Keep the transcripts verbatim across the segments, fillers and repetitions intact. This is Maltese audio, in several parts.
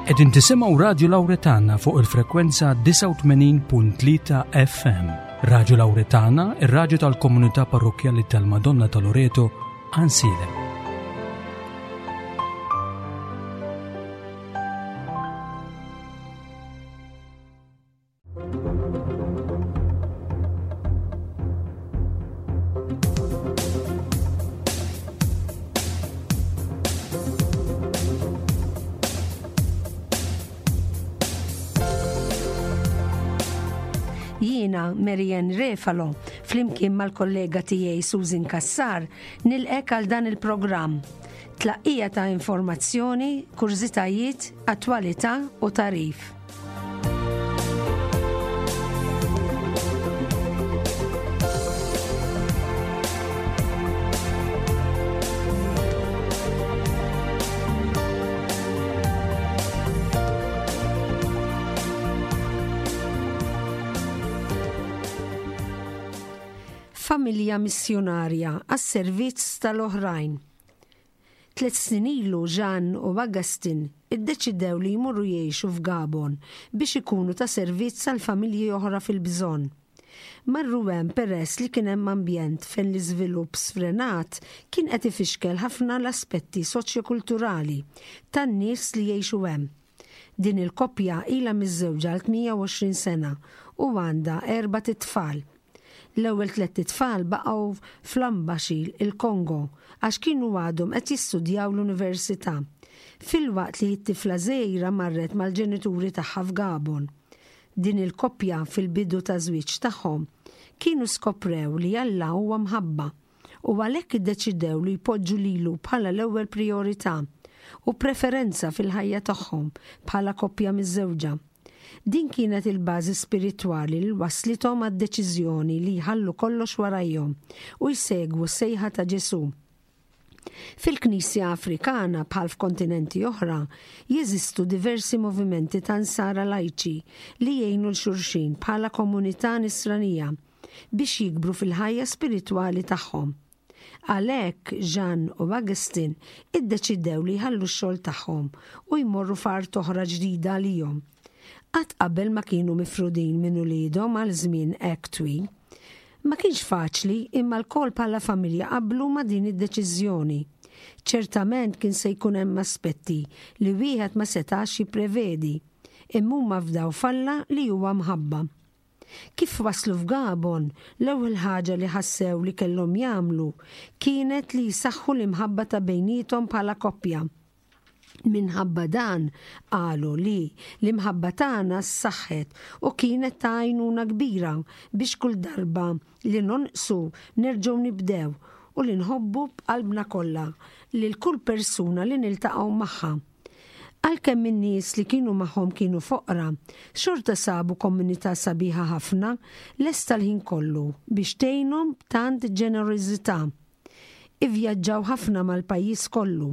Qegħdin tisimgħu Radju Lawretana fuq il-frekwenza disgħa u tmenin punt tlieta F M. Radju Lawretana, ir-radju tal-komunità parrokkjali tal-Madonna ta' Loreto, Għajnsielem. Jiena Marianne Refalo, flimkien mal-kollega tiegħi Susan Kassar, nilqgħek għal dan il-programm. Tlaqqija ta' informazzjoni, kurżitajiet, attwalità u tagħrif. Familja missjonarja għas-servizz tal-oħrajn. Tliet snin ilu Jean u Augustin iddeċidew li jmorru jgħixu f'Gabon biex ikunu ta' servizz għal familji oħra fil-bżonn. Marru hemm peress li kien hemm ambjent fejn l-iżvilupp sfrenat kien qed ifixkel ħafna l-aspetti soċjokulturali tan-nies li jgħixu hemm. Din il-koppja ilha miżżewġa għal tmienja u għoxrin sena u għandha erbat itfal. L-ewwel tliet itfal baqgħu f'Lubumbashi, il-Kongo, għax kienu għadhom qed jistudjaw l-università. Filwaqt li t-tifla żgħira marret mal-ġenituri tagħha f'Gabon. Din il-koppja fil-bidu ta' żwieġ tagħhom kienu skoprew li Alla huwa mħabba u għalhekk iddeċidew li jpoġġu lilu bħala l-ewwel priorità u preferenza fil-ħajja tagħhom bħala koppja miżżewġa. Din kienet il-bażi spiritwali li waslithom għad-deċiżjoni li jħallu kollox warajhom u jsegwu s-sejħa ta' Ġesu. Fil-Knisja Afrikana, bħal f'kontinenti oħra, jeżistu diversi movimenti ta' nsara lajċi li jgħinu 'l xulxin bħala komunità nisranija biex jikbru fil-ħajja spiritwali tagħhom. Għalhekk Jean u Augustin iddeċidew li jħallu x-xogħol tagħhom u jmorru f'art oħra ġdida għalihom. Qatt qabel ma kienu mifrudin minn uliedhom għal żmien hekk twil. Ma kienx faċli, imma lkoll bħala familja qablu ma' din id-deċiżjoni. Ċertament kien se jkun hemm aspetti li wieħed ma setax jipprevedi, imma huma fdaw f'Alla li huwa mħabba. Kif waslu f'Gabon, l-ewwel ħaġa li ħassew li kellhom jagħmlu kienet li jsaħħu l-imħabba ta' bejniethom bħala koppja. Minħabba dan qalu li l-imħabba tagħna ssaħħet u kienet ta' għajnuna kbira biex kull darba li nonqsu nerġgħu nibdew u li nħobbu b'qalbna kollha lil kull persuna li niltaqgħu magħha. Għalkemm in-nies li kienu magħhom kienu foqra, xorta sabu komunità sabiħa ħafna lesta l-ħin kollu biex tgħinhom b'tant ġenerożità. Ivvjaġġaw ħafna mal-pajjiż kollu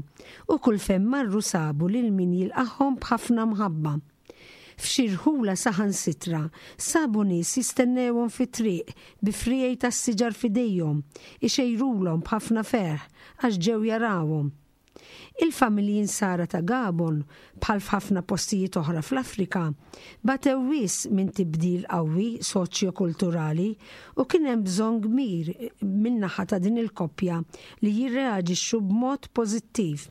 u kull fejn marru sabu lil min jilqagħhom b'ħafna mħabba. F'xi rħula saħansitra sabu nies jistennewhom fit-triq bi friegħi tas-siġar f'idejhom, ixejrulhom b'ħafna ferħ għax ġew jarawhom. Il-familji nsara ta' Gabon, bħal f'ħafna postijiet oħra fl-Afrika, batew wisq minn tibdil qawwi soċjo-kulturali u kien hemm bżonn kbir min-naħa ta' din il-koppja li jirreaġixxu b'mod pożittiv.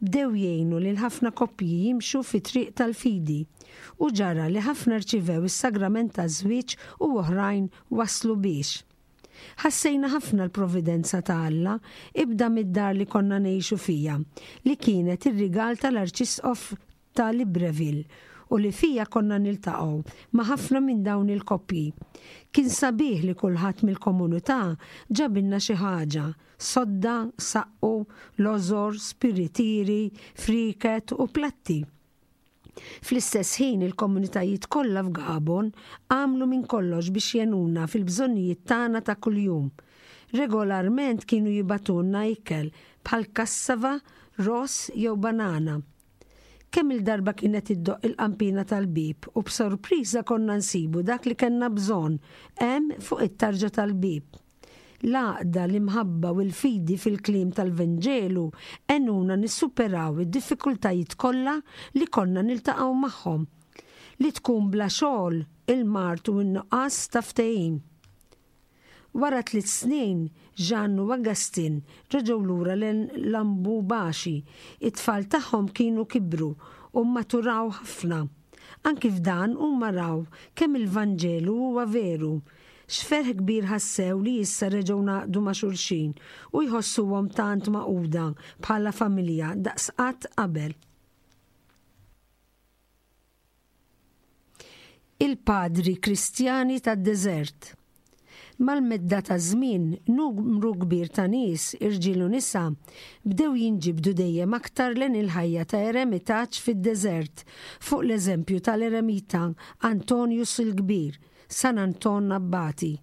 Bdew jgħinu lil ħafna koppji jimxu fi triq tal-fidi u ġara li ħafna rċivew is-sagrament taż-żwieġ u oħrajn waslu biex. Ħassejna ħafna l-providenza ta' Alla, ibda mid-dar li konna ngħixu fija, li kienet ir-rigal tal-Arċisqof ta' Libreville u li fija konna niltaqgħu ma' ħafna minn dawn il-koppji. Kien sabiħ li kulħadd mill-komunità ġabilna xi ħaġa, sodda, saqqu, lożor, spiritieri, friket u platti. Fl-istess ħin, il-komunitajiet kollha f'Gabon għamlu minn kollox biex jgħinuna fil-bżonnijiet tagħna ta' kuljum. Regolarment kienu jibagħtulna ikel bħal kassava, ross jew banana. Kemm il-darba kienet iddoqq il-qampina tal-bib u b'sorpriża konna nsibu dak li kellna bżonn hemm fuq it-tarġa tal-bib. L-għaqda, l-imħabba u l-fidi fil-kliem tal-Vanġelu għenuna nissuperaw id-diffikultajiet kollha li konna niltaqgħu magħhom. Li tkun bla xogħol, il-mard u n-nuqqas ta' ftehim. Wara tliet snin, Jeanne u Augustin reġgħu lura lejn Lambubaxi. It-tfal tagħhom kienu kibru u maturaw ħafna. Anki f'dan huma raw kemm il-Vanġelu huwa veru. X'ferħ kbir ħassew li issa reġgħu ngħaqdu ma' xulxin u jħossuhom tant magħquda bħala familja daqs qatt qabel. Il-Padri Kristjani tad-Deżert. Mal-medda ta' żmien, numru kbir ta' nies, irġiel u nisa, bdew jinġibdu dejjem aktar lejn il-ħajja ta' eremitaġġ fid-deżert, fuq l-eżempju tal-eremita Antonius il-Kbir, San Anton Abbati,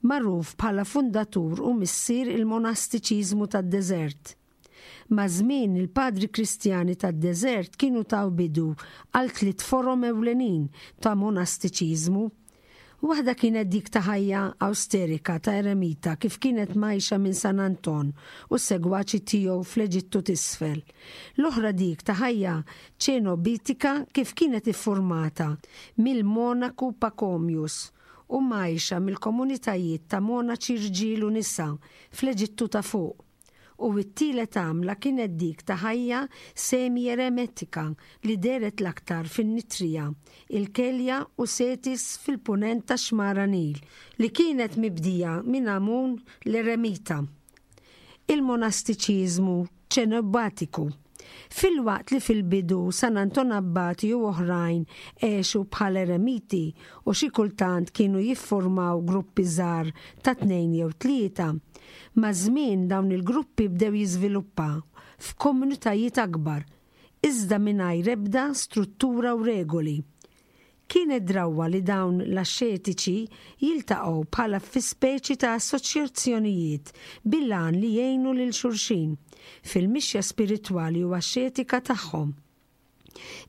magħruf bħala fundatur u missier il-monastiċiżmu tad-deżert. Maż-żmien, il-Padri Kristjani tad-deżert kienu taw bidu għal tliet forom ewlenin ta' monastiċiżmu. Waħda kienet dik ta' ħajja awsterika ta' eremita kif kienet mgħajxa minn San Anton u s-segwaċi tiegħu fl-Eġittu t'Isfel. L-oħra dik ta' ħajja ċenobitika kif kienet iffurmata mill-monaku Pachomius u mgħajxa mill-komunitajiet ta' monaċi rġiel u nisa fl-Eġittu ta' Fuq. U t-tielet għamla kienet dik ta' ħajja semi-eremetika li dehret l-aktar fin-Nitrija, il-Kelja u Setis fil-punent tax-xmara Nil, li kienet mibdija minn Amun l-Eremita. Il-monastiċiżmu ċenobatiku. Filwaqt li fil-bidu San Anton Abbati u oħrajn għexu bħal eremiti u xi kultant kienu jiffurmaw gruppi żgħar ta' tnejn jew tlieta, maż-żmien dawn il-gruppi bdew jiżviluppaw f'komunitajiet akbar, iżda mingħajr ebda struttura u regoli. Kienet drawwa li dawn l-axxetiċi jiltaqgħu bħala fi speċi ta' assoċjazzjonijiet bil-għan li jgħinu lil xulxin fil-mixja spiritwali u axxetika tagħhom.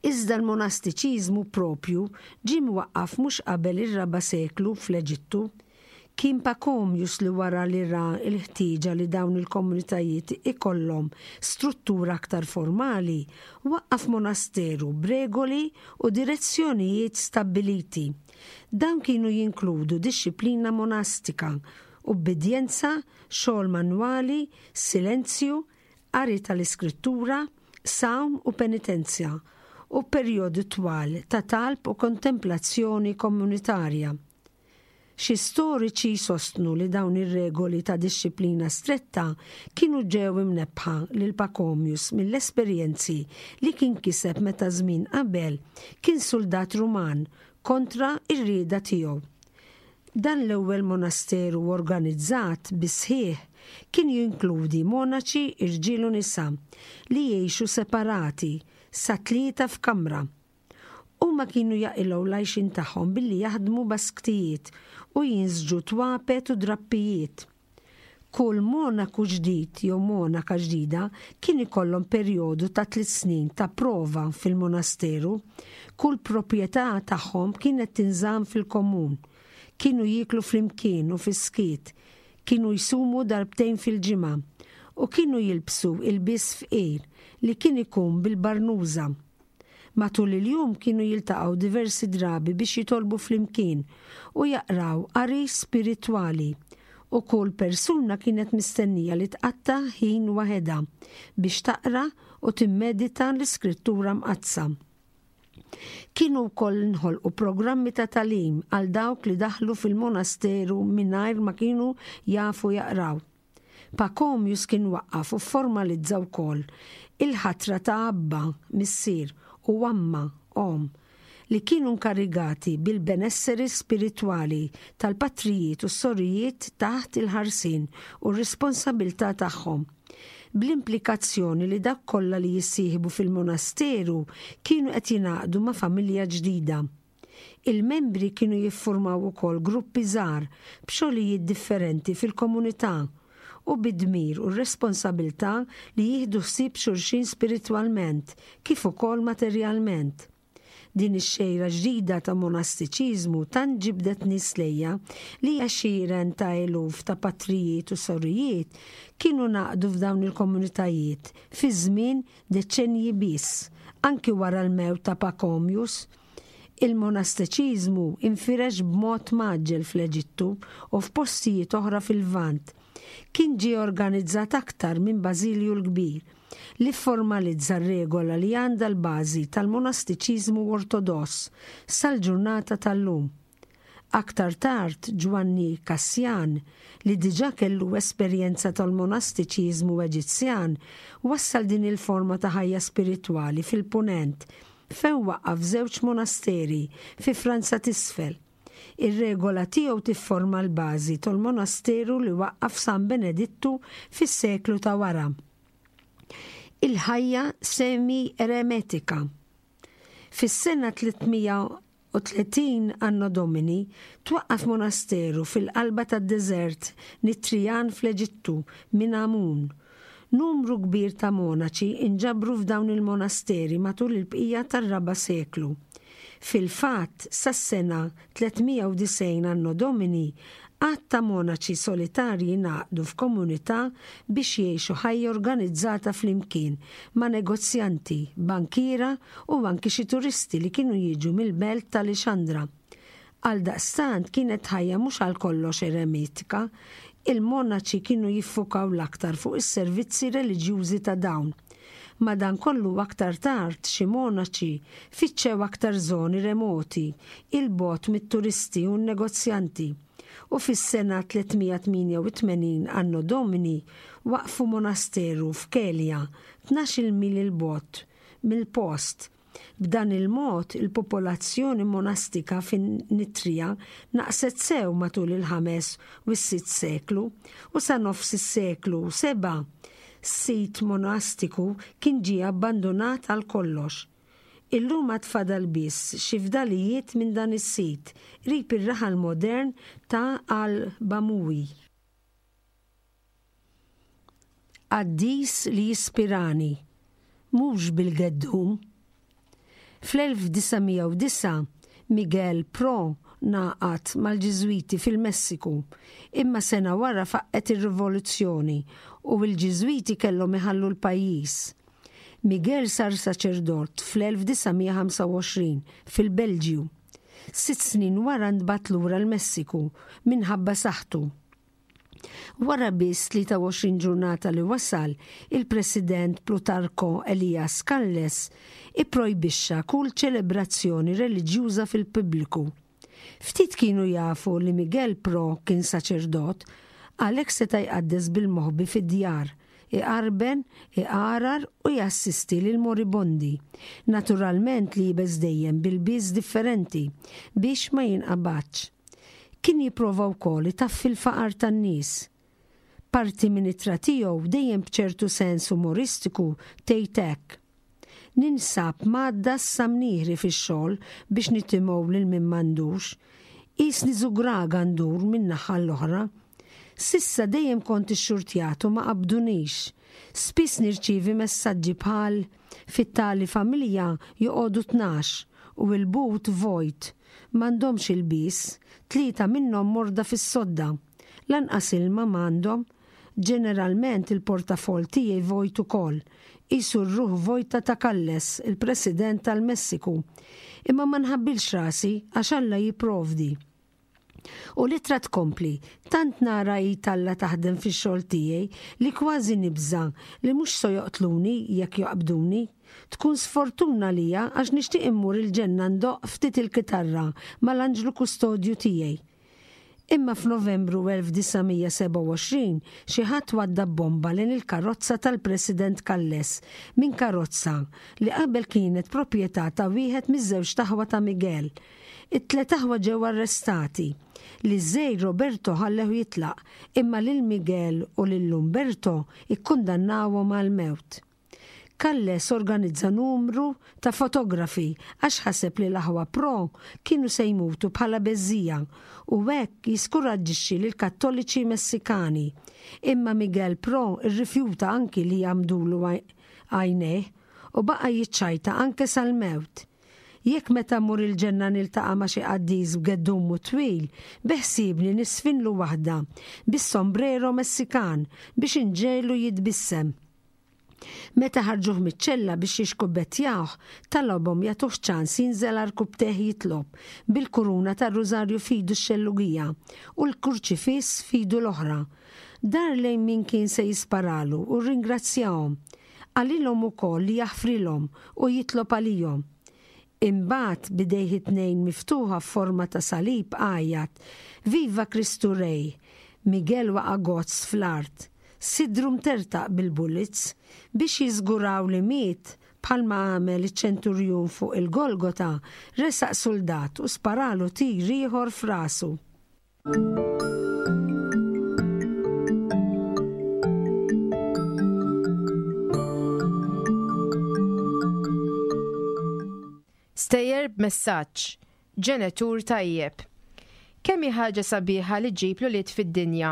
Iżda l-monastiċiżmu propju ġie mwaqqaf mhux qabel ir-raba' seklu fl-Eġittu. Kien Pachomius li wara li ra l-ħtieġa li dawn il-komunitajiet ikollhom struttura aktar formali, waqqaf monasteru b'regoli u direzzjonijiet stabbiliti. Dawn kienu jinkludu dixxiplina monastika, ubbidjenza, xogħol manwali, silenzju, qari tal-Iskrittura, sawm u penitenzja, u perjodi twal ta' talb u kontemplazzjoni komunitarja. Xi storiċi jsostnu li dawn ir-regoli ta' dixxiplina stretta kienu ġew imnebbħa lil Pachomius mill-esperjenzi li kien kiseb meta żmien qabel kien suldat Ruman kontra r-rieda tiegħu. Dan l-ewwel monasteru organizzat bis-sħiħ kien jinkludi monaċi irġiel u nisa li jgħixu separati sa tlieta f'kamra. Huma kienu jaqilgħu l-għajxien tagħhom billi jaħdmu basktijiet u jinsġu twapet u drappijiet. Kull monaku ġdid jew monaka ġdida kien ikollhom perjodu ta' tliet snin ta' prova fil-monasteru. Kull proprjetà tagħhom kienet tinżamm fil-komun. Kienu jieklu flimkien u fis-skiet, kienu jsumu darbtejn fil-ġimgħa u kienu jilbsu ilbies fqir li kien ikun bil-barnuża. Matul il-jum kienu jiltaqgħu diversi drabi biex jitolbu flimkien u jaqraw qari spiritwali, u kull persuna kienet mistennija li tqatta' ħin waħedha biex taqra u timmedita l-Iskrittura Mqaddsa. Kienu wkoll inħolqu programmi ta' tagħlim għal dawk li daħlu fil-monasteru mingħajr ma kienu jafu jaqraw. Pachomius kien waqqaf u fformalizza wkoll il-ħatra ta' abba, missier, u amma, omm, li kienu nkarigati bil-benesseri spiritwali tal-patrijiet u s-sorijiet taħt il-ħarsien u r-responsabilità tagħhom, bl-implikazzjoni li dawk kollha li jissieħbu fil-monasteru kienu qed jingħaqdu ma' familja ġdida. Il-membri kienu jiffurmaw ukoll gruppi żgħar b'xogħlijiet differenti fil-komunità u bid-dmir u r-responsabilità li jieħdu ħsieb xulxin spiritwalment kif ukoll materjalment. Din ix-xejra ġdida ta' monastiċiżmu tant ġibdet nies lejha li għexieren ta' eluf ta' patrijiet u sorijiet kienu ngħaqdu f'dawn il-komunitajiet fi żmien deċenji biss, anki wara l-mewt ta' Pachomius. Il-monastiċiżmu infirex b'mod mgħaġġel fl-Eġittu u f'postijiet oħra fil-Lvant. Kien ġie organizzat aktar minn Bażilju l-Kbir, li formalizza r-regola li għandha l-bażi tal-monastiċiżmu ortodoss sal-ġurnata tal-lum. Aktar tard Ġwanni Kassjan, li diġà kellu esperjenza tal-monastiċiżmu Eġizzjan, wassal din il-forma ta' ħajja spiritwali fil-Punent, fejn waqqaf żewġ monasteri fi Franza t'Isfel. Ir-regola tiegħu tifforma l-bażi tal-monasteru li waqqaf San Benedittu fis-seklu ta' wara. Il-ħajja semi-eremetika. Fis-sena tliet mija u tletin Anno Domini twaqqaf monasteru fil-qalba tad-deżert Nitrijan fl-Eġittu minn Amun. Numru kbir ta' monaċi inġabru f'dawn il-monasteri matul il-bqija tar-raba' seklu. Fil-fatt, sas-sena tliet mija u disgħin Anno Domini, għadd ta' monaċi solitarji ngħaqdu f'komunità biex jgħixu ħajja organizzata flimkien ma' negozjanti, bankiera u anki xi turisti li kienu jiġu mill-belt ta' Lixandra. Għaldaqstant kienet ħajja mhux għal kollox eremitika, il-monaċi kienu jiffukaw l-aktar fuq is-servizzi reliġjużi ta' dawn. Madankollu, aktar tard xi monaċi fittxew aktar żoni remoti, 'il bogħod mit-turisti u n-negozjanti. U fis-sena tliet mija tmienja u tmenin Anno Domini waqfu monasteru f'Kelja, tnax-il mil 'il bogħod mill-post. B'dan il-mod il-popolazzjoni monastika fin-Nitrija naqset sew matul il-ħames u s-sitt seklu, u sa nofs is-seklu seba' sit monastiku kien ġie abbandonat għal kollox. Illum għad fadal biss xi fdalijiet minn dan is-sit qrib ir-raħal modern ta' Al-Bamuwi. Qaddis li jispirani, mhux bil-geddum. Fl-elf disa' mija u disgħa Miguel Pro ngħaqad mal-Ġiżwiti fil-Messiku, imma sena wara faqqgħet ir-rivoluzzjoni u l-Ġiżwiti kellhom iħallu l-pajjiż. Miguel sar saċerdot fl-elf disa' mija ħamsa u għoxrin fil-Belġju. Sitt snin wara ntbagħat lura l-Messiku minħabba saħħtu. Wara biss tlieta u għoxrin ġurnata li wasal, il-President Plutarco Elias Calles ipprojbixxa kull ċelebrazzjoni reliġjuża fil-pubbliku. Ftit kienu jafu li Miguel Pro kien saċerdot, għalhekk seta' jqaddes bil-moħbi fid-djar, iqarben, iqarar u jassisti lil moribondi. Naturalment liebes dejjem b'ilbies differenti biex ma jinqabadx. Kien jipprova wkoll itaffi l-faqar tan-nies. Parti minn ittra tiegħu, dejjem b'ċertu sens umoristiku, tgħid hekk: "Ninsab mgħaddas sa mnieħri fix-xogħol biex nitimgħu lil min m'għandux. Qisni żugraga ndur minn naħa l-oħra. S'issa dejjem kont ixxurtjat u ma qabdunix. Spiss nirċivi messaġġi bħal: 'Fit-tali familja joqogħdu tnax u l-but vojt. M'għandhomx ilbies, tlieta minnhom morda fis-sodda. Lanqas ilma m'għandhom. Ġeneralment il-portafol tiegħi vojt ukoll. Qisu r-ruħ vojta ta' Calles, il-President tal-Messiku. Imma ma nħabbilx rasi għax Alla jipprovdi." U l-ittra tkompli: "Tant nara id Alla taħdem fix-xogħol tiegħi li kważi nibża li mhux so joqtluni jekk joqbduni. Tkun sfortuna lija għax nixtieq immur il-ġenna ndoqq ftit il-kitarra mal-anġlu kustodju tiegħi." Imma f'Novembru elf disa' mija sebgħa u għoxrin xi ħadd waddab bomba lejn il-karozza tal-President Calles minn karozza li qabel kienet proprjetà ta' wieħed miż-żewġt aħwa ta' Miguel. It-tlet aħwa ġew arrestati. Liż-żgħir Roberto ħallew jitlaq, imma lil Miguel u lil Umberto ikkundannawhom għal-mewt. Calles organizza numru ta' fotografi għax ħaseb li l-aħwa Pro kienu se jmutu bħala beżżiegħa u hekk jiskuraġġixxi lil kattoliċi Messikani. Imma Miguel Pro irrifjuta anki li jgħammdulu għajnejh u baqa' jiċċajta anke sal-mewt. Jekk meta mmur il-ġenna niltaqa' ma' xi qaddis b'geddumu twil, beħsiebni nisfinlu waħda bis-sombrero Messikan biex inġegħlu jitbissem. Meta ħarġuh miċ-ċella biex jixkubettjawh, talabhom jagħtuh ċans jinżel għarkupptejh jitlob bil-kuruna tar-rużarju f'idu x-xellugija u l-kurċifiss f'idu l-oħra. Dar lejn min kien se jisparalu u rringrazzjahom. Qalilhom ukoll li jaħfrilhom u jitlob għalihom. Imbagħad b'idejh it-tnejn miftuħa f'forma ta' salib għajjat, Viva Kristu Rej! Miguel waqa' gozz fl-art, sidru mtertaq bil-bullets. Biex jiżguraw li miet, bħalma għamel iċ-ċenturjun fuq il-Golgota, resaq suldat u sparalu tir ieħor f'rasu. Stejjer b'messaġġ, Ġenitur tajjeb. Kemm hi ħaġa sabiħa li ġġib l-ulied fid-dinja.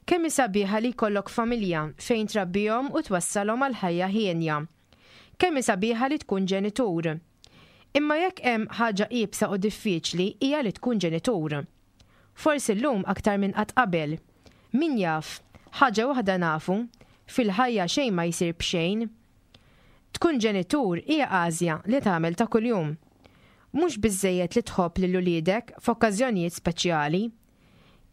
Kemm hi sabiħa li jkollok familja fejn trabbihom u twassalhom għal ħajja hienja. Kemm hi sabiħa li tkun ġenitur. Imma jekk hemm ħaġa iebsa u diffiċli hija li tkun ġenitur. Forsi llum aktar minn qatt qabel. Min jaf, ħaġa waħda nafu, fil-ħajja xejn ma jsir b'xejn. Tkun ġenitur hija għażja li tagħmel ta' kuljum. Mhux biżżejjed li tħobb lil uliedek f'okkażjonijiet speċjali.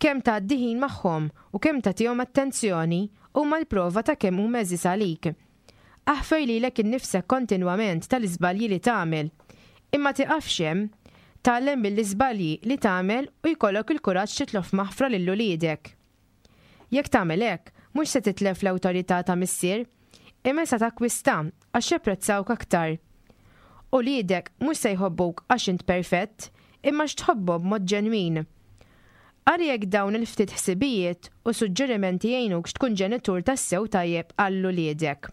Kemm tgħaddi ħin magħhom u kemm tagħtihom attenzjoni huma l-prova ta' kemm huma għeżież għalik. Aħfer lilek innifsek kontinwament tal-iżbalji li tagħmel. Imma tiqafx hemm. Tgħallem mill-iżbalji li tagħmel u jkollok il-kuraġġ titlob maħfra lil uliedek. Jekk tagħmel hekk, mhux se titlef l-awtorità ta' missier, imma se takkwista għax japprezzawk aktar. Uliedek mhux se jħobbuk għax int perfett, imma għax tħobbhom b'mod ġenwin. Ara jekk dawn il-ftit ħsibijiet u suġġerimenti jgħinukx tkun ġenitur tassew tajjeb għal uliedek.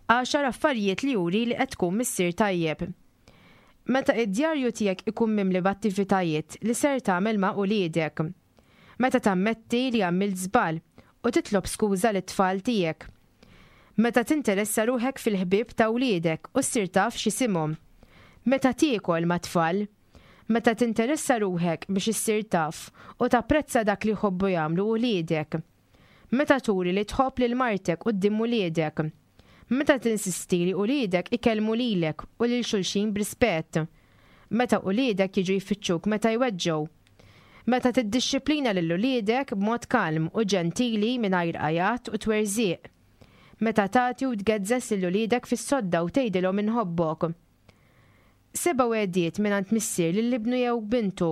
Għaxar affarijiet li juri li qed tkun missier tajjeb. Meta id-djarju tiegħek ikun mimli b'attivitajiet li ser tagħmel ma' uliedek. Meta tammetti li għamilt żball u titlob skuża lit-tfal tiegħek. Meta tinteressa ruħek fil-ħbieb ta' wliedek u ssir taf x'isimhom. Meta tiekol mat-tfal. Meta tinteressa ruħek biex issir taf u tapprezza dak li jħobbu jagħmlu uliedek. Meta turi li tħobb lil martek quddiem uliedek. Meta tinsisti li uliedek ikellmu lilek u lil xulxin b'rispett. Meta uliedek jiġu jfittxuk meta jweġġgħu. Meta tiddixxiplina lil uliedek b'mod kalm u ġentili mingħajr għajat u twerżiq. Meta tagħti u tgezzes lil uliedek fis-sodda u tgħidilhom inħobbok. Seba' wegħdiet mingħand missier lil ibnu jew bintu.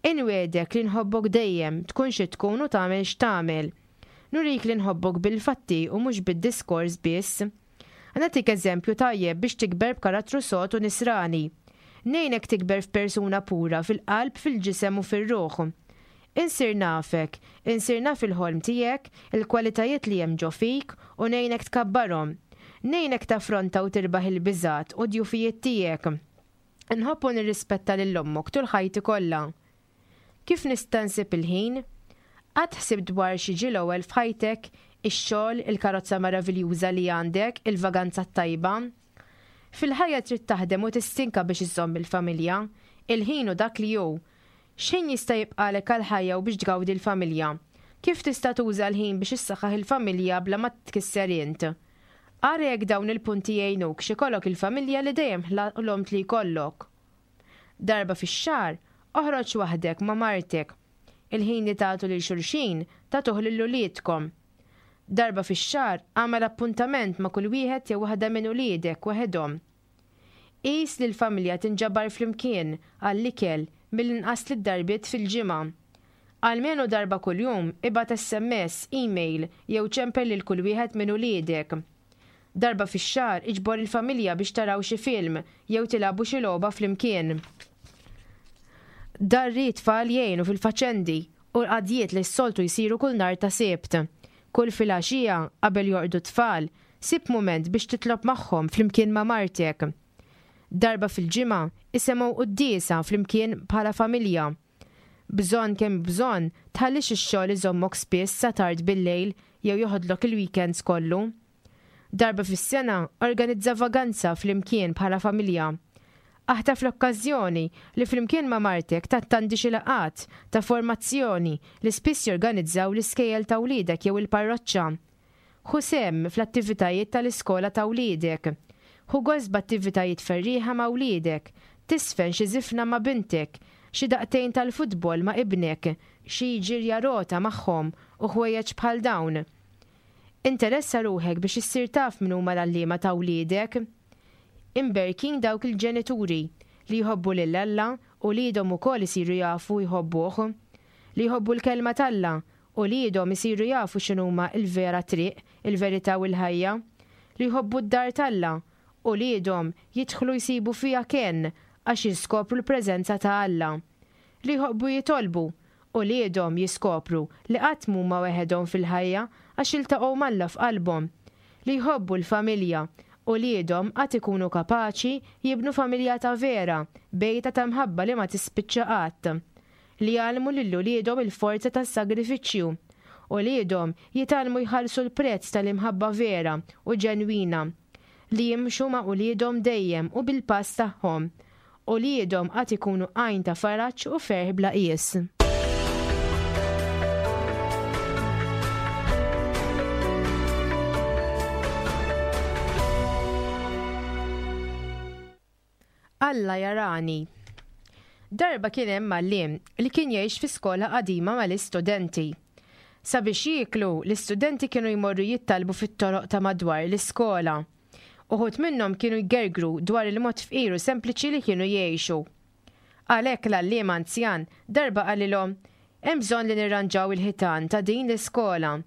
Inwiegħdek li nħobbok dejjem, tkun xi tkun u tagħmel x'tagħmel. Nurik li nħobbok bil-fatti u mhux bid-diskors biss. Nagħtik eżempju tajjeb biex tikber b'karattru sod u nisrani. Ngħinek tikber f'persuna pura fil-qalb, fil-ġisem u fir-ruħ. Insir nafek, insir naf il-ħolm tiegħek, il-kwalitajiet li hemm ġo fik u ngħinek tkabbarhom. Ngħinek taffronta u tirbaħ il-biżgħat u d-djufijiet tiegħek. Nħobb u nirrispetta lil ommok tul ħajti kollha. Kif nista' nsib il-ħin? Qatt ħsibt dwar xi ġie l-ewwel f'ħajtek, ix-xogħol, il-karozza meraviljuża li għandek, il-vaganza t-tajba? Fil-ħajja trid taħdem u tistinka biex iżżomm il-familja. Il-ħin hu dak li hu. X'ħin jista' jibqalek għall-ħajja u biex tgawdi l-familja? Kif tista' tuża l-ħin biex issaħħaħ il-familja bla ma tkisser int? Ara jekk dawn il-punti jgħinuk x'ikollok il-familja li dejjem ħlomt li jkollok. Darba fix-xahar, oħroġ waħdek ma' martek. Il-ħin li tagħtu lil xulxin tagħtuh lil uliedkom. Darba fix-xahar agħmel appuntament ma' kull wieħed jew waħda minn uliedek waħedhom. Qis li l-familja tinġabar flimkien għall-ikel mill-inqas tliet darbiet fil-ġimgħa. Almenu darba kuljum ibgħat S M S, email jew ċempel lil kull wieħed minn uliedek. Darba fix-xahar iġbor il-familja biex taraw xi film jew tilagħbu xi logħba flimkien. Darri tfal jgħinu fil-faċendi u l-qadjiet li s-soltu jsiru kull nhar ta' Sibt. Kull filgħaxija qabel jorqdu tfal, sib mument biex titlob magħhom flimkien ma' martek. Darba fil-ġimgħa isemgħu quddiesa flimkien bħala familja. Bżonn kemm bżonn tħallix ix-xogħol iżommok spiss sa tard bil-lejl jew joħodlok il-weekends kollu. Darba fis-sena organizza vaganza flimkien bħala familja. Aħtaf l-okkażjoni li flimkien ma' martek tattandi xi laqgħat ta' formazzjoni li spiss jorganizzaw l-iskejjel ta' wliedek jew il-parroċċa. Ħu sehem fl-attivitajiet tal-iskola ta' wliedek. Ħu gost b'attivitajiet ferrieħa ma' wliedek. Tiżfen xi żifna ma' bintek, xi daqtejn tal-futbol ma' ibnek, xi ġirja rota magħhom u ħwejjeġ bħal dawn. Interessa ruħek biex issir taf min huma l-għalliema ta' wliedek. Imberkin dawk il-ġenituri li jħobbu lil Alla u wliedhom ukoll isiru jafu jħobbuh. Li jħobbu l-kelma t'Alla u wliedhom isiru jafu x'inhuma l-vera triq, il-verità u l-ħajja. Li jħobbu d-dar t'Alla u wliedhom jidħlu jsibu fiha kenn għax jiskopru l-preżenza ta' Alla. Li jħobbu jitolbu u wliedhom jiskopru li qatt m'huma weħedhom fil-ħajja għax jiltaqgħu m'Alla f'qalbhom. Li jħobbu l-familja uliedhom għad ikunu kapaċi jibnu familja ta' vera, bejta ta' mħabba li ma tispiċċa qatt. Li jgħallmu lil uliedhom il-forza tas-sagrifiċċju. Uliedhom jitgħallmu jħallsu l-prezz tal-imħabba vera u ġenwina. Li jimxu ma' uliedhom dejjem u bil-pass tagħhom. Uliedhom għad ikunu għajn ta' faraġ u ferħ bla qies. Alla jarani. Darba kien hemm għalliem li kien jgħix fi skola qadima mal-istudenti. Sabiex jieklu, l-istudenti kienu jmorru jittalbu fit-toroq ta' madwar l-iskola. Uħud minnhom kienu jgergru dwar il-mod fqir u sempliċi li kienu jgħixu. Għalhekk l-għalliem anzjan darba qalilhom, hemm bżonn li nirranġaw il-ħitan ta' din l-iskola.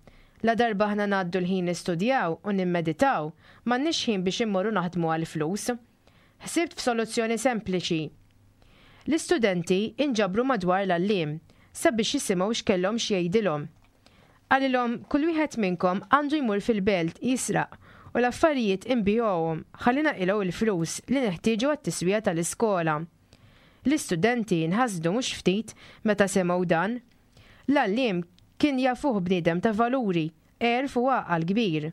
La darba aħna ngħaddu l-ħin nistudjaw u nimmeditaw, m'għandniex ħin biex immorru naħdmu għall-flus. Ħsibt f'soluzzjoni sempliċi. L-istudenti inġabru madwar l-għalliem sabiex jisimgħu x'kellhom x'jgħidilhom. Qalilhom kull wieħed minnkom għandu jmur fil-belt jisraq u l-affarijiet inbigħuhom ħalli naqilgħu l-flus li neħtieġu għat-tiswija tal-iskola. L-istudenti nħasdu mhux ftit meta semgħu dan. L-għalliem kien jafuh bniedem ta' valuri, għerf u għaqal kbir.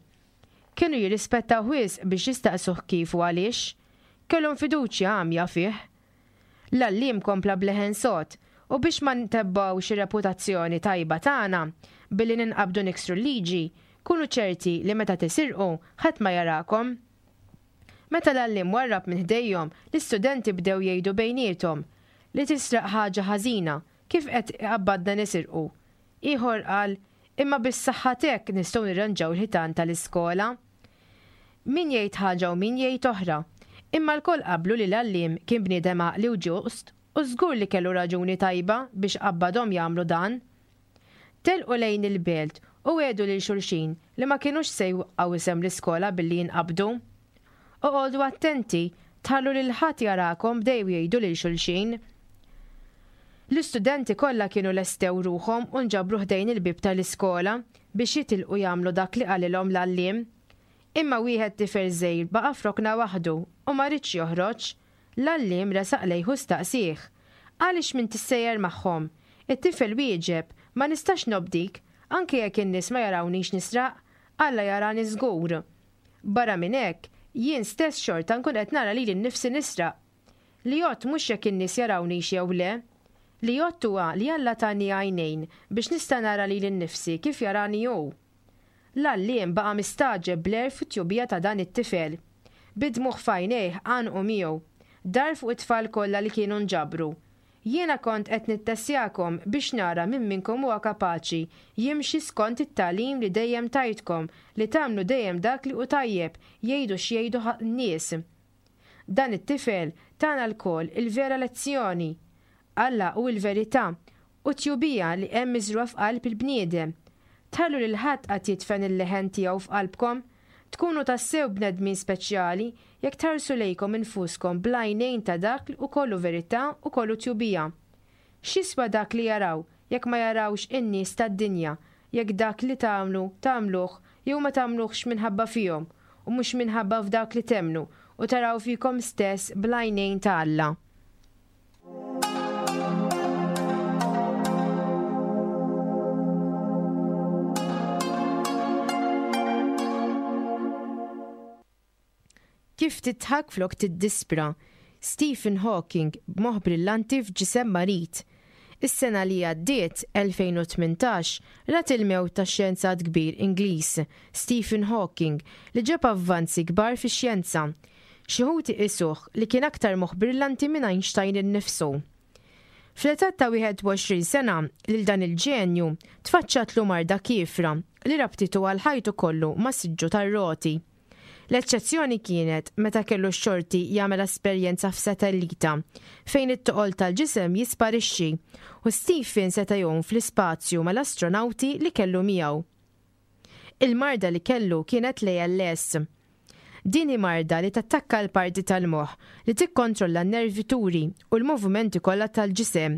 Kienu jirrispettaw wisq biex jistaqsuh kif u għaliex. Kellhom fiduċja għamja fih. L-għalliem kompla b'leħen sod u biex ma ntebbgħux ir-reputazzjoni tajba tagħna billi ninqabdu niksru l-liġi, kunu ċerti li meta tisirqu ħadd ma jarakom. Meta l-għalliem warrab minn ħdejhom, l-istudenti bdew jgħidu bejniethom li tisraq ħaġa ħażina, kif qed iqabbadna nisirqu. Ieħor qal, imma bis-saħħa t'hekk nistgħu nirranġaw il-ħitan tal-iskola. Min jgħid ħaġa u min jgħid oħra. Imma lkoll qablu li l-għalliem kien bniedem għaqli u ġust u żgur li kellu raġuni tajba biex qabbadhom jagħmlu dan. Telqu lejn il-belt u għedu lil xulxin li ma kinux se jwaqqgħu isem l-iskola billi jinqabdu. Oqogħdu attenti, tħallu lil ħadd jarakom bdew jgħidu lil xulxin. L-istudenti kollha kienu lestew ruħhom u nġabru ħdejn il-bieb tal-iskola biex jitilqu jagħmlu dak li qalilhom l-għalliem. Imma wieħed tifel żgħir baqa' f'rokna waħdu u ma ridx joħroġ. L-għalliem resaq lejh u staqsih, Għaliex m'int issejjer magħhom? It-tifel wieġeb, Ma nistax nobdik, anke jekk in-nies ma jarawniex nisraq, Alla jarani żgur. Barra minn hekk, jien stess xorta nkun qed nara lili nnifsi nisraq. Li jgħodd mhux jekk in-nies jarawniex jew le. Li jgħodd huwa li Alla tani għajnejn biex nista' nara lili nnifsi kif jarani hu. L-għalliem baqa' mistagħġeb bl-għerf u t-tjubija ta' dan it-tifel. Bid-dmugħ f'għajnejh għanqu miegħu. Dar fuq it-tfal kollha li kienu nġabru. Jiena kont qed nittessjakom biex nara min minnkom huwa kapaċi jimxi skont it-tagħlim li dejjem tajtkom li tagħmlu dejjem dak li hu tajjeb, jgħidu x'jgħidu n-nies. Dan it-tifel tana lkoll il-vera lezzjoni. Alla hu l-verità u t-tjubija li hemm miżrugħa f'qalb il-bniedem. Tħallu lil ħadd qatt jidfen il-leħen tiegħu f'qalbkom. Tkunu tassew bnedmin speċjali jekk tħarsu lejkom infuskom bl-għajnejn ta' dak li hu kollu verità u kollu tjubija. X'jiswa dak li jaraw jekk ma jarawx in-nies tad-dinja, jekk dak li tagħmlu tagħmluh jew ma tagħmluhx minħabba fihom u mhux minħabba f'dak li temmnu u taraw fikom stess bl-għajnejn ta' Alla. Kif tidħak flok tiddispra. Stephen Hawking b'moħħ brillanti f'ġisem marid. Is-sena li għaddiet, elfejn u tmintax, rat il-mewt ta' xjenzat kbir Ingliż, Stephen Hawking, li ġab avvanzi kbar fix-xjenza. Xi wħud iqisuh li kien aktar moħħ brillanti minn Einstein innifsu. Fl-età ta' wieħed u għoxrin sena, lil dan il-ġenju tfaċċatlu marda kiefra li rabtitu għal ħajtu kollu ma' siġġu tar-roti. L-eċċezzjoni kienet meta kellu x-xorti jagħmel esperjenza f'satellita fejn it-toqol tal-ġisem jisparixxi u Stephen seta' jgħum fl-ispazju mal-astronawti li kellu miegħu. Il-marda li kellu kienet l-A L S. Din hi marda li tattakka l-parti tal-moħħ li tikkontrolla n-nervituri u l-movimenti kollha tal-ġisem.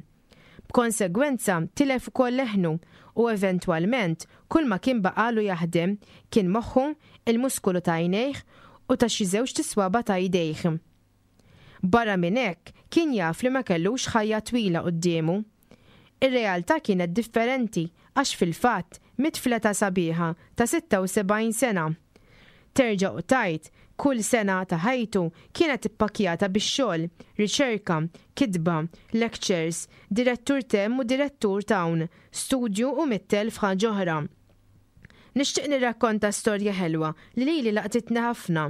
B'konsegwenza tilef ukoll leħnu u eventwalment kull ma kien baqalu jaħdem kien moħħu, il-muskolu ta' għajnejh u ta' xi żewġt iswaba' ta' idejh. Barra minn hekk kien jaf li ma kellux ħajja twila quddiemu. Ir-realtà kienet differenti għax fil-fatt miet fl-età sabiħa ta' sitta u sebgħin sena. Terġa' u tgħid, kull sena ta' ħajtu kienet ippakjata bix-xogħol, riċerka, kitba, lectures, direttur t'hemm u direttur t'hawn, studju u mitt elf ħaġa oħra. Nixtieq nirrakkonta storja ħelwa li lili laqtitni ħafna.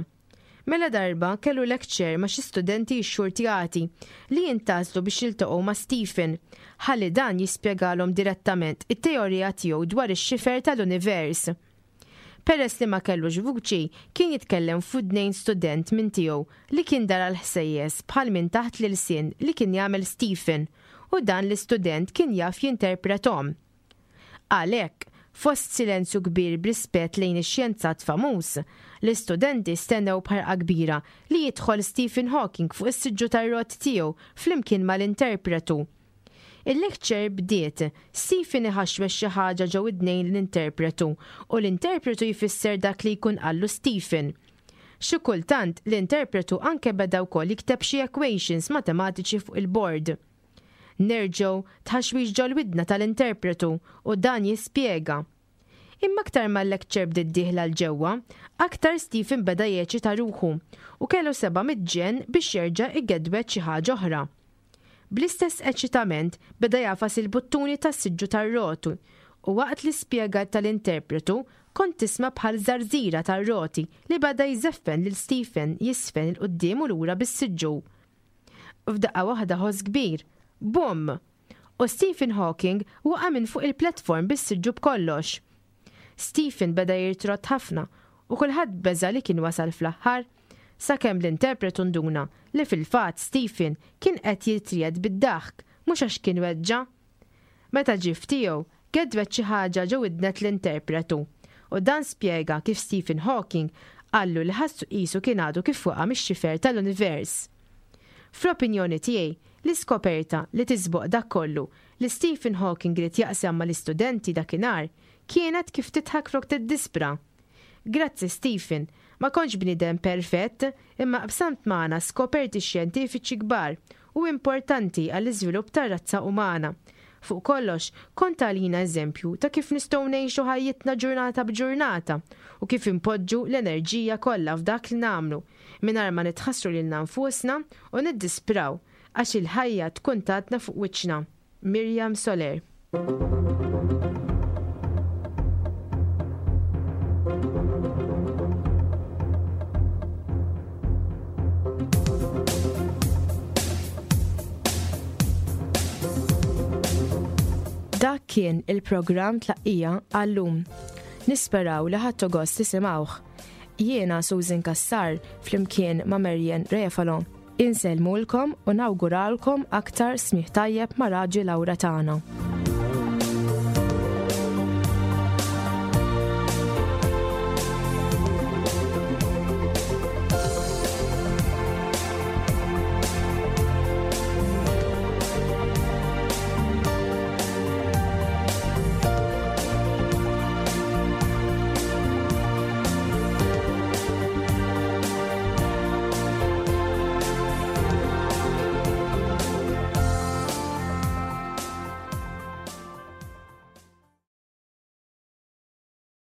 Mela darba kellu lecture ma' xi studenti xxurtjati li jintgħażlu biex jiltaqgħu ma' Stephen, ħalli dan jispjegalhom direttament it-teorija tiegħu dwar ix-xifer tal-univers. Peress li ma kellux vuċi, kien jitkellem f'widnejn student minn tiegħu li kien dara l-ħsejjes bħal minn taħt l-ilsien li kien jagħmel Stephen u dan l-istudent kien jaf jinterprethom. Għalhekk, fost silenzju kbir b'rispett lejn ix-xjenzat famuż, l-istudenti stennew b'ħerqa kbira li jidħol Stephen Hawking fuq is-siġġu tar-roti tiegħu flimkien mal-interpretu. Il-lecture bdiet, Stephen iħaxwex xi ħaġa ġo widnejn l-interpretu u l-interpretu jfisser dak li jkun qallu Stephen. Xi kultant l-interpretu anke beda wkoll jikteb xi equations matematiċi fuq il-board. Nerġgħu tħaxwix ġol-widna tal-interpretu u dan jispjega. Imma aktar ma l-lecture bdiet dieħla 'l ġewwa, aktar Stephen beda jeċita ruħu u kellu seba' mitt ġenn biex jerġa' igedwed xi ħaġa oħra. Bl-istess eċitament beda jagħfas il-buttuni tas-siġġu tar-roti u waqt li spjega tal-interpretu kont tisma' bħal żarżira tar-roti li beda jżeffen lil Stephen jiżfen 'il quddiem u lura bis-siġġu. F'daqqa waħda ħoss kbir, bum! U Stephen Hawking waqa' minn fuq il-platform bis-siġġu b'kollox. Stephen beda jirtrot ħafna u kulħadd beża li kien wasal fl-aħħar, sakemm l-interpretu nduna li fil-fatt Stephen kien qed jitriegħed bid-daħk mhux għax kien weġġa. Meta ġie f'tiegħu, gedwed xi ħaġa ġo widnet l-interpretu u dan spjega kif Stephen Hawking qallu li ħassu qisu kien għadu kif waqa' mix-xifer tal-univers. Fl-opinjoni tiegħi, l-iskoperta li tisboq dak kollu li Stephen Hawking ried jaqsam mal-istudenti dakinhar kienet kif tidħak flok tiddispra. Grazzi, Stephen, ma kontx bniedem perfett, imma qsamt magħna skoperti xjentifiċi kbar u importanti għall-iżvilupp tar-razza umana. Fuq kollox, kont għalina eżempju ta' kif nistgħu ngħixu ħajjitna ġurnata b'ġurnata u kif impoġġu l-enerġija kollha f'dak li nagħmlu mingħajr ma nitħassru lilna nfusna u niddispraw għax il-ħajja tkun tatna fuq wiċċna. Miriam Soler. Dak kien il-programm Tlaqqija għallum. Nisperaw li ħadtu gost tisimgħuh. Jiena Susan Kassar flimkien ma' Marian Refalo. Insellmulkom u nawguralkom aktar smigħ tajjeb ma' Raġi Lawra tagħna.